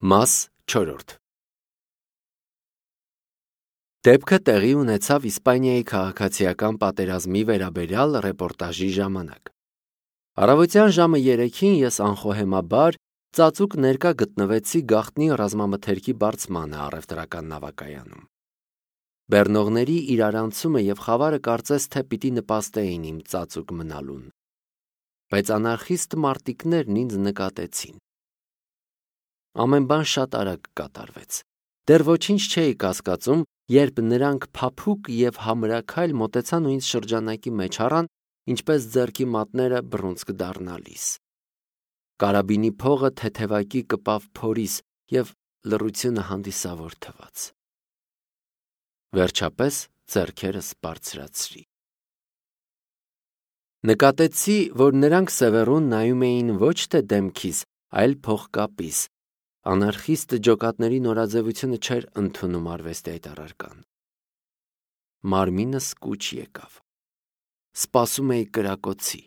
Մաս 4 Դեպքը տեղի ունեցավ Իսպանիայի քաղաքացիական պատերազմի վերաբերյալ ռեպորտաժի ժամանակ։ Առավոտյան ժամը 3-ին ես անխոհեմաբար ծածուկ ներկա գտնվեցի գաղտնի ռազմամթերքի բարձմանը առևտրական նավակայանում։ Բեռնողների իրարանցումը և խավարը կարծես թե պիտի նպաստեին իմ ծածուկ մնալուն, բայց անարխիստ մարտիկներն ինձ նկատեցին։ Ամեն բան շատ արագ կատարվեց։ Դեռ ոչինչ չէի կասկածում, երբ նրանք փափուկ և համրաքայլ մոտեցան ու ինձ շրջանակի մեջ առան, ինչպես ձեռքի մատները բռունցք դառնալիս։ Կարաբինի փողը թեթևակի կպավ փորիս և լռությունը հանդիսավոր թվաց։ Վերջապես ձեռքերս բարձրացրի։ Նկատեցի, որ նրանք սևեռուն նայում էին ոչ թե դեմքիս, այլ փողկապիս։ Անարխիստ ջոկատների նորաձևությունը չէր ընդունում արվեստի այդ առարկան։ Մարմինս կուչ եկավ։ Սպասում էի կրակոցի։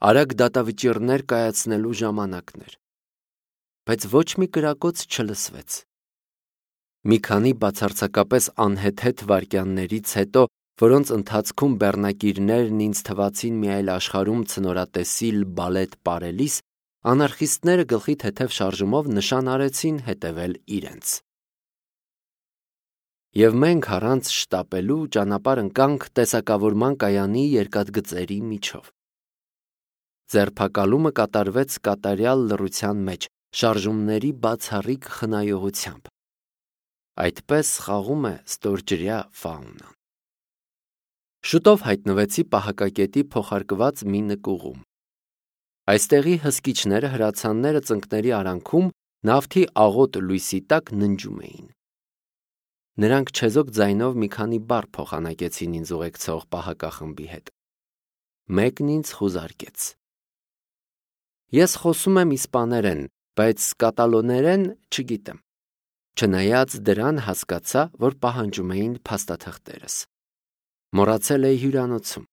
Արագ դատավճիռներ կայացնելու ժամանակն էր։ Բայց ոչ մի կրակոց չլսվեց։ Մի քանի բացարձակապես անհեթեթ վայրկյաններից հետո, որոնց ընթացքում բեռնակիրներն ինձ թվացին մի այլ աշխարհում ցնորատեսիլ բալետ պարելիս, անարխիստները գլխի թեթև շարժումով նշան արեցին հետևել իրենց։ Եվ մենք առանց շտապելու ճանապարհ ընկանք տեսակավորման կայանի երկաթգծերի միջով։ Ձերբակալումը կատարվեց կատարյալ լռության մեջ, շարժումների բացառիկ խնայողությամբ։ Այդպես խաղում է ստորջրյա ֆաունան։ Շուտով հայտնվեցի պահակակետի փոխարկված մի նկուղում։ Այստեղի հսկիչները, հրացանները ծնկների արանքում նավթի աղոտ լույսի տակ ննջում էին։ Նրանք չեզոք ձայնով մի քանի բառ փոխանակեցին ինձ ուղեկցող պահակախմբի հետ։ Մեկն ինձ խուզարկեց։ Ես խոսում եմ իսպաներեն, բայց կատալոներեն չգիտեմ։ Չնայած դրան հասկացա, որ պահանջում էին փաստաթղթերս։ Մոռացել էի հյուրանոցում։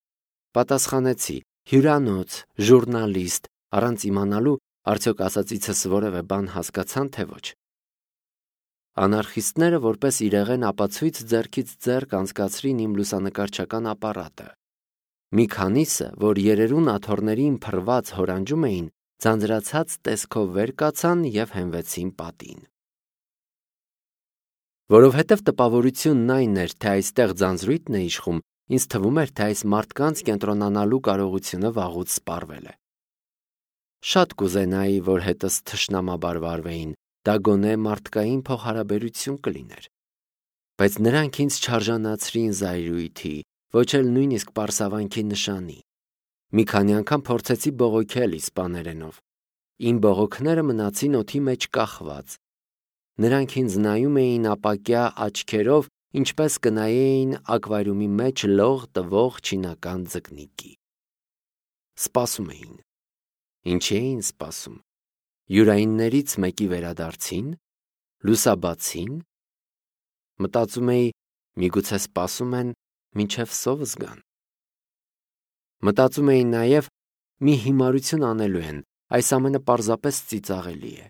Պատասխանեցի՝ հյուրանոց, ժուրնալիստ, առանց իմանալու, արդյոք ասածիցս որևէ բան հասկացան, թե ոչ։ Անարխիստները որպես իրեղեն ապացույց ձեռքից ձեռք անցկացրին իմ լուսանկարչական ապարատը։ Մի քանիսը, որ երերուն աթոռներին փռված հորանջում էին, ձանձրացած տեսքով վեր կացան և հենվեցին պատին։ Որովհետև տպավորությունն այն էր, թե այստեղ ձանձրույթն է իշխում, ինձ թվում էր, թե այս մարդկանց կենտրոնանալու կարողությունը վաղուց սպառվել է։ Շատ կուզենայի, որ հետս թշնամաբար վարվեին, դա գոնե մարդկային փոխհարաբերություն կլիներ։ Բայց նրանք ինձ չարժանացրին զայրույթի, ոչ էլ նույնիսկ պարսավանքի նշանի։ Մի քանի անգամ փորձեցի բողոքել իսպաներենով։ Իմ բողոքները մնացին օդի մեջ կախված։ Նրանք ինձ նայում էին ապակյա աչքերով, ինչպես կնայեին ակվարիումի մեջ լող տվող չինական ձկնիկի։ Սպասում էին։ Ինչի էին սպասում։ Յուրայիններից մեկի վերադարձին, լուսաբացին։ Մտածում էի, միգուցե սպասում են, մինչև սով զգան։ Մտածում էի նաև, մի հիմարություն անելու են, այս ամենը պարզապես ծիծաղելի է։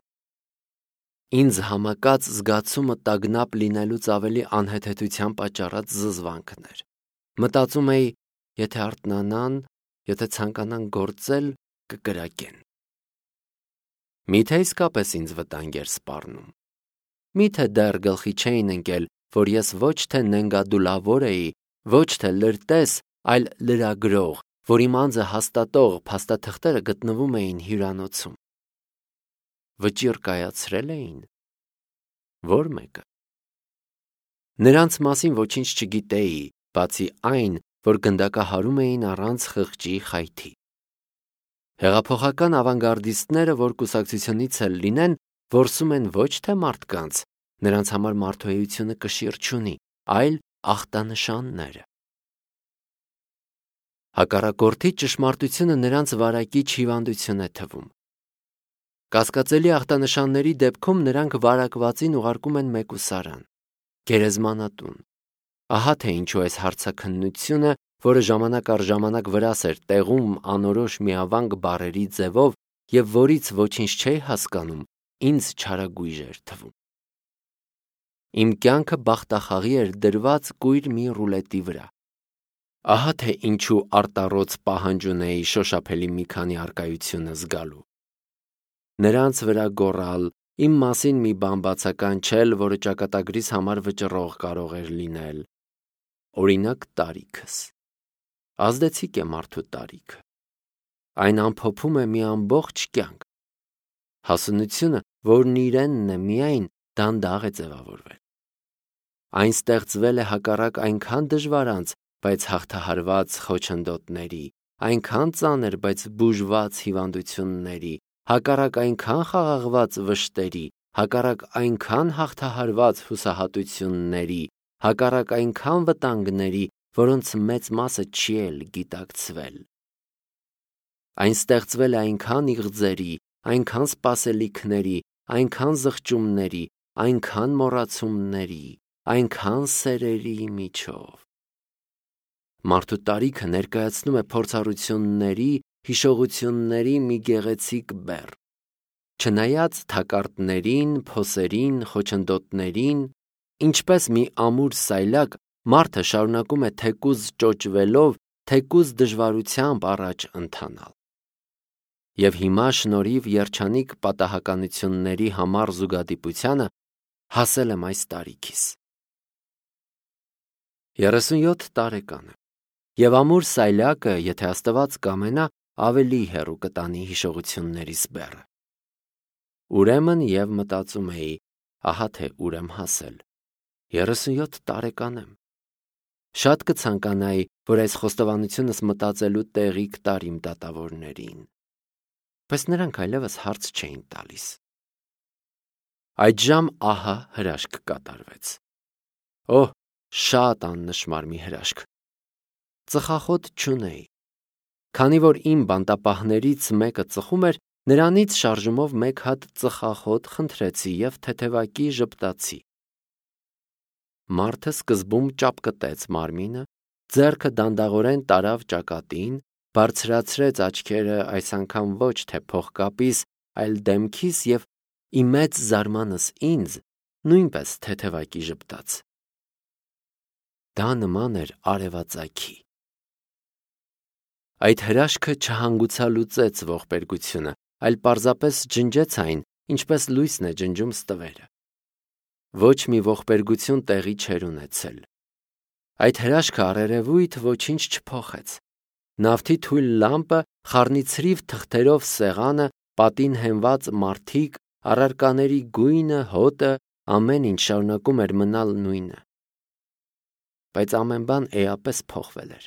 Ինձ համակած զգացումը տագնապ լինելուց ավելի անհեթեթության պատճառած զզվանքն էր։ Մտածում էի, եթե արթնանան, եթե ցանկանան գործել, կկրակեն։ Միթե իսկապես ինձ վտանգ էր սպառնում։ Միթե դեռ գլխի չէին ընկել, որ ես ոչ թե նենգադուլավոր էի, ոչ թե լրտես, այլ լրագրող, որ իմ անձը հաստատող փաստաթղթերը գտնվում էին հյուրանոցում։ Վճիռ կայացրել էին։ Ո՞ր մեկը։ Նրանց մասին ոչինչ չգիտեի, բացի այն, որ գնդակահարում էին առանց խղճի խայթի։ Հեղափոխական ավանգարդիստները, որ կուսակցությունից էլ լինեն, որսում են ոչ թե մարդկանց, նրանց համար մարդուեությունը կշիռ չունի, այլ ախտանշանները։ Հակառակորդի ճշմարտությունը նրանց վարակիչ հիվանդություն է թվում։ Կասկածելի ախտանշանների դեպքում նրանք վարակվածին ուղարկում են մեկուսարան, գերեզմանատուն։ Ահա թե ինչու այս հարցաքննությունը, որը ժամանակ առ ժամանակ վրաս էր տեղում անորոշ միավանք բառերի ձևով և որից ոչինչ չէի հասկանում, ինձ չարագույժ էր թվում։ Իմ կյանքը բախտախաղի էր դրված կույր մի ռուլետի վրա։ Ահա թե ինչու արտառոց պահանջ ունեի շոշափելի մի քանի առկայությունը զգալու։ Նրանց վրա գոռալ, իմ մասին մի բան բացական չէլ, որը ճակատագրիս համար վճռող կարող էր լինել։ Օրինակ տարիքս։ Ազդեցիկ է մարդու տարիքը։ Այն ամփոփում է մի ամբողջ կյանք։ Հասունությունը, որն իրենն է միայն, դանդաղ է ձևավորվել։ Այն ստեղծվել է հակառակ այնքան դժվարանց, բայց հաղթահարված խոչընդոտների, այնքան ծանր, բայց բուժված հիվանդությունների, հակառակ այնքան խաղաղված վշտերի, հակառակ այնքան հաղթահարված հուսահատությունների, հակառակ այնքան վտանգների, որոնց մեծ մասը չի էլ գիտակցվել։ Այն ստեղծվել է այնքան իղձերի, այնքան սպասելիքների, այնքան զղջումների, այնքան մոռացումների, այնքան սերերի միջով։ Մարդու տարիքը ներկայացնում է փորձառությունների, հիշողությունների մի գեղեցիկ բեռ։ Չնայած թակարդներին, փոսերին, խոչընդոտներին, ինչպես մի ամուր սայլակ, մարդը շարունակում է թեկուզ ճոճվելով, թեկուզ դժվարությամբ առաջ ընթանալ։ Եվ հիմա շնորհիվ երջանիկ պատահականությունների համառ զուգադիպությանը հասել եմ այս տարիքիս։ 37 տարեկան եմ, և ամուր սայլակը, եթե Աստված կամենա, ավելի հեռու կտանի հիշողություններիս բեռը։ Ուրեմն և մտածում էի, ահա թե ուր եմ հասել։ 37 տարեկան եմ։ Շատ կցանկանայի, որ այս խոստովանությունս մտածելու տեղիք տար իմ դատավորներին, բայց նրանք այլևս հարց չէին տալիս։ Այդժամ ահա հրաշք կատարվեց։ Օհ, շատ աննշմար մի հրաշք։ Ծխախոտ չունեի։ Քանի որ իմ բանտապահներից մեկը ծխում էր, նրանից շարժումով մեկ հատ ծխախոտ խնդրեցի և թեթևակի ժպտացի։ Մարդը սկզբում ճապկտեց մարմինը, ձեռքը դանդաղորեն տարավ ճակատին, բարձրացրեց աչքերը այս անգամ ոչ թե փողկապիս, այլ դեմքիս և իմ մեծ զարմանս ինձ նույնպես թեթևակի ժպտաց։ Դա նման էր արևածագի։ Այդ հրաշքը չհանգուցալուծեց ողբերգությունը, այլ պարզապես ջնջեց այն, ինչպես լույսն է ջնջում ստվերը։ Ոչ մի ողբերգություն տեղի չէր ունեցել։ Այդ հրաշքը առերևույթ ոչինչ չփոխեց։ Նավթի թույլ լամպը, խառնիցրիվ թղթերով սեղանը, պատին հենված մարդիկ, առարկաների գույնը, հոտը, ամեն ինչ շարունակում էր մնալ նույնը։ Բայց ամեն բան էապես փոխվել էր։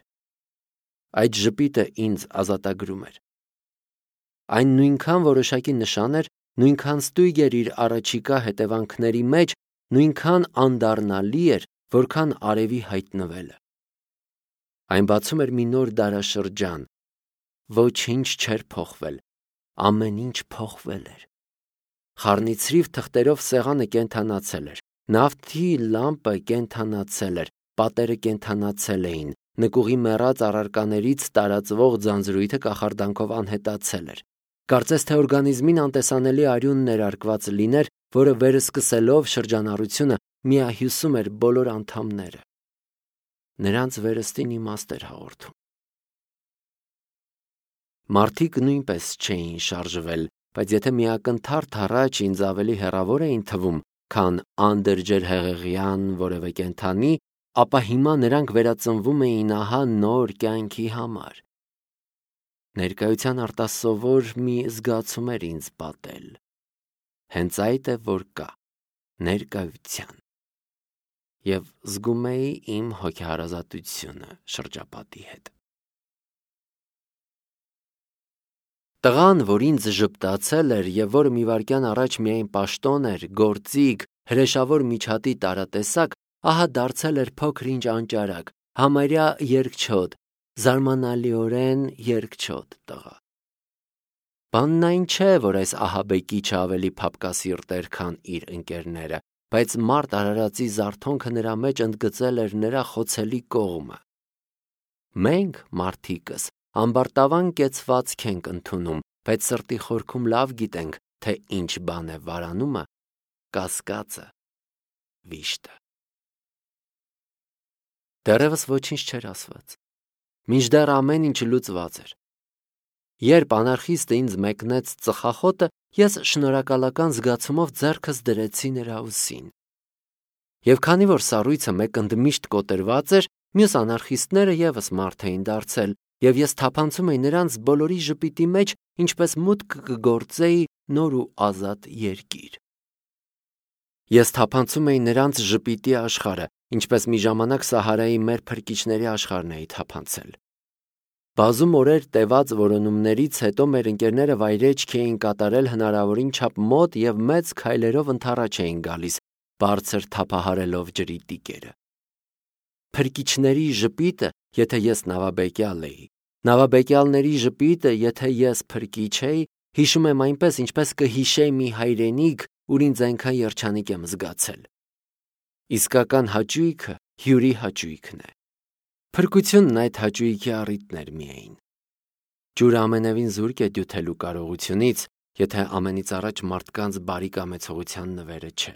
Այդ ժպիտը ինձ ազատագրում էր։ Այն նույնքան որոշակի նշան էր, նույնքան ստույգ էր իր առաջիկա հետևանքների մեջ, նույնքան անդառնալի էր, որքան արևի հայտնվելը։ Այն բացում էր մի նոր դարաշրջան։ Ոչինչ չէր փոխվել, ամեն ինչ փոխվել էր։ Խառնիցրիվ թղթերով սեղանը կենդանացել էր, նավթի լամպը կենդանացել էր, պատերը կենդանացել էին, նկուղի մեռած առարկաներից տարածվող ձանձրույթը կախարդանքով անհետացել էր։ Կարծես թե օրգանիզմին անտեսանելի արյուն ներարկված լիներ, որը վերսկսելով շրջանառությունը միահյուսում էր բոլոր անդամները։ Նրանց վերստին իմաստ էր հաղորդում։ Մարդիկ նույնպես չէին շարժվել, բայց եթե միակնթարթ առաջ ինձ ավելի հեռավոր էին թվում, քան անդրջերհեղեղյան որևէ կենդանի, ապա հիմա նրանք վերածնվում էին ահա նոր կյանքի համար։ Ներկայության արտասովոր մի զգացում էր ինձ պատել։ Հենց այդ է, որ կա ներկայության։ Եվ զգում էի իմ հոգեհարազատությունը շրջապատի հետ։ Տղան, որ ինձ ժպտացել էր և որը մի վայրկյան առաջ միայն պաշտոն էր, գործիք, հրեշավոր միջատի տարատեսակ, ահա դարձել էր փոքր-ինչ անճարակ, համարյա երկչոտ, զարմանալիորեն երկչոտ տղա։ Բանն այն չէ, որ այս ահաբեկիչը ավելի փափկասիրտ էր, քան իր ընկերները, բայց մարդ արարածի զարթոնքը նրա մեջ ընդգծել էր նրա խոցելի կողմը։ Մենք, մարդիկս, ամբարտավան կեցվածք ենք ընդունում, բայց սրտի խորքում լավ գիտենք, թե ինչ բան է վարանումը, կասկածը, վիշտը։ Դեռևս ոչինչ չէր ասված, մինչդեռ ամեն ինչ լուծված էր։ Երբ անարխիստը ինձ մեկնեց ծխախոտը, ես շնորհակալական զգացումով ձեռքս դրեցի նրա ուսին։ Եվ քանի որ սառույցը մեկ ընդմիշտ կոտրված էր, մյուս անարխիստները ևս մարդ էին դարձել, եւ ես թափանցում էի նրանց բոլորի ժպիտի մեջ, ինչպես մուտք կգործեի նոր ու ազատ երկիր։ Ես թափանցում էի նրանց ժպիտի աշխարհը, ինչպես մի ժամանակ Սահարայի մեր փրկիչների աշխարհն էի թափանցել։ Բազում օրեր տևած որոնումներից հետո մեր ընկերները վայրեջք էին կատարել հնարավորին չափ մոտ եւ մեծ քայլերով ընդառաջ էին գալիս, բարձր թափահարելով ջրի տիկերը։ Փրկիչների ժպիտը, եթե ես նավաբեկյալ էի, նավաբեկյալների ժպիտը, եթե ես փրկիչ էի, հիշում եմ այնպես, ինչպես կհիշեի մի հայրենիք, ուր ինձ այնքան երջանիկ եմ զգացել։ Իսկական հաճույքը հյուրի հաճույքն է։ Փրկությունն այդ հաճույքի առիթն էր միայն։ Ջուրը ամենևին զուրկ է դյութելու կարողությունից, եթե ամենից առաջ մարդկանց բարի կամեցողության նվերը չէ։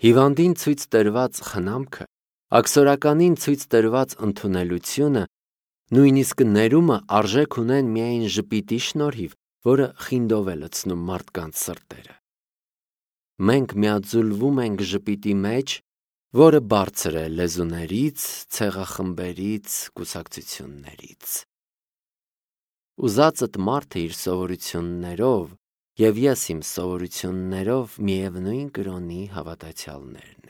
Հիվանդին ցույց տրված խնամքը, աքսորականին ցույց տրված ընդունելությունը, նույնիսկ ներումը արժեք ունեն միայն ժպիտի շնորհիվ, որը խինդով է լցնում մարդկանց սրտերը։ Մենք միաձուլվում ենք ժպիտի մեջ, որը բարձր է լեզուներից, ցեղախմբերից, կուսակցություններից։ Ուզածդ մարդը իր սովորություններով, եւ ես իմ սովորություններով միևնույն կրոնի հավատացյալներն